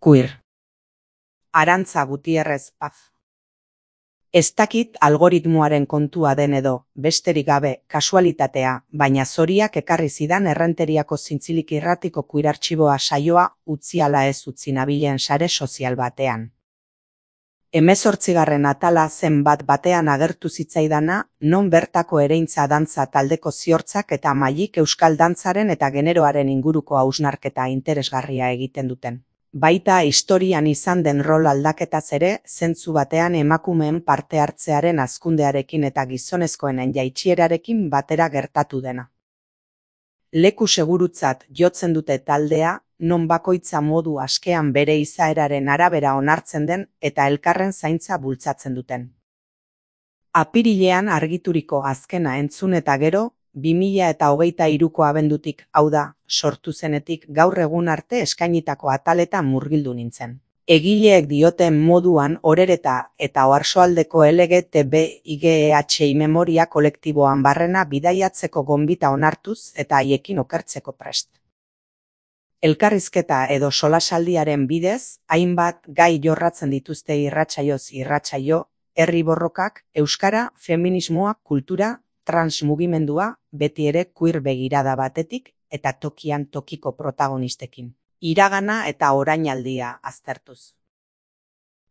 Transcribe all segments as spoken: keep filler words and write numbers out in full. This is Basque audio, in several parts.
Queer. Arantza Gutierrez Paz. Ez dakit algoritmoaren kontua den edo, besterik gabe, kasualitatea, baina zoriak ekarri zidan Errenteriako Zintzilik irratiko Queer artxiboa saioa utzi ala ez utzi nabilen sare sozial batean. Hemezortzigarren atala zen bat batean agertu zitzaidana, non bertako ereintza dantza taldeko ziortzak eta mailik euskal dantzaren eta generoaren inguruko hausnarketa interesgarria egiten duten. Baita historian izan den rol aldaketaz ere, zentzu batean emakumeen parte hartzearen hazkundearekin eta gizonezkoenen jaitsierarekin batera gertatu dena. Leku segurutzat jotzen dute taldea, non bakoitza modu askean bere izaeraren arabera onartzen den eta elkarren zaintza bultzatzen duten. Apirilean argituriko azkena entzun eta gero, bi mila eta hogeita hiruko abendutik, hau da, sortu zenetik gaur egun arte eskainitako ataletan murgildu nintzen. Egileek dioten moduan Orereta eta Oarsoaldeko L G T B I Q H I memoria kolektiboan barrena bidaiatzeko gonbita onartuz eta haiekin okertzeko prest. Elkarrizketa edo solasaldiaren bidez, hainbat gai jorratzen dituzte irratsaioz irratsaio, herri borrokak, euskara, feminismoa, kultura, transmugimendua, beti ere queer begirada batetik eta tokian tokiko protagonistekin. Iragana eta orainaldia aztertuz.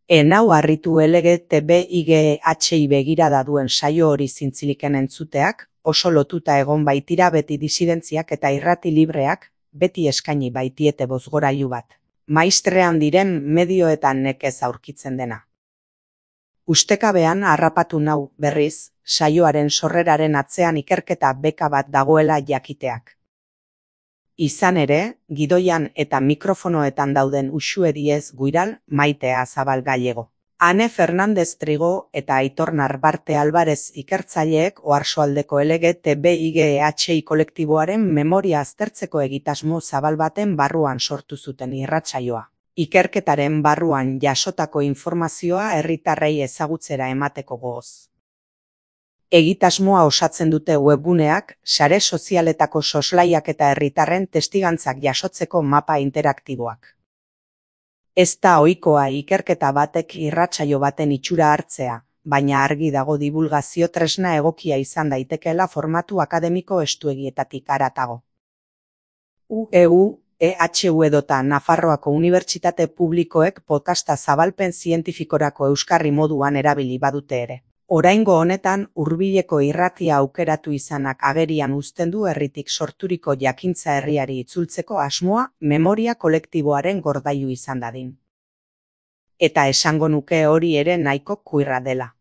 Enau harritu L G T B I Q H I begirada duen saio hori Zintziliken entzuteak, oso lotuta egon baitira beti disidentziak eta irrati libreak, beti eskaini baitiete bozgorailu bat. Maistrean diren medioetan nekez aurkitzen dena. Ustekabean harrapatu nau, berriz, saioaren sorreraren atzean ikerketa beka bat dagoela jakiteak. Izan ere, gidoian eta mikrofonoetan dauden Uxue Diez Guiral, Maitea Zabal Gallego. Ane Fernandez Trigo eta Aitor Narbarte Alvarez ikertzaileek Oarsoaldeko L G T B I Q H I kolektiboaren memoria aztertzeko egitasmo zabal baten barruan sortu zuten irratsaioa. Ikerketaren barruan jasotako informazioa herritarrei ezagutzera emateko gogoz. Egitasmoa osatzen dute webguneak, sare sozialetako soslaiak eta herritarren testigantzak jasotzeko mapa interaktiboak. Ez da ohikoa ikerketa batek irratsaio baten itxura hartzea, baina argi dago dibulgazio tresna egokia izan daitekeela formatu akademiko estuegietatik haratago. U E U, E H U edota Nafarroako Unibertsitate Publikoek podcasta zabalpen zientifikorako euskarri moduan erabili badute ere. Oraingo honetan hurbileko irratia aukeratu izanak agerian uzten du herritik sorturiko jakintza herriari itzultzeko asmoa memoria kolektiboaren gordailu izan dadin. Eta esango nuke hori ere nahiko queerra dela.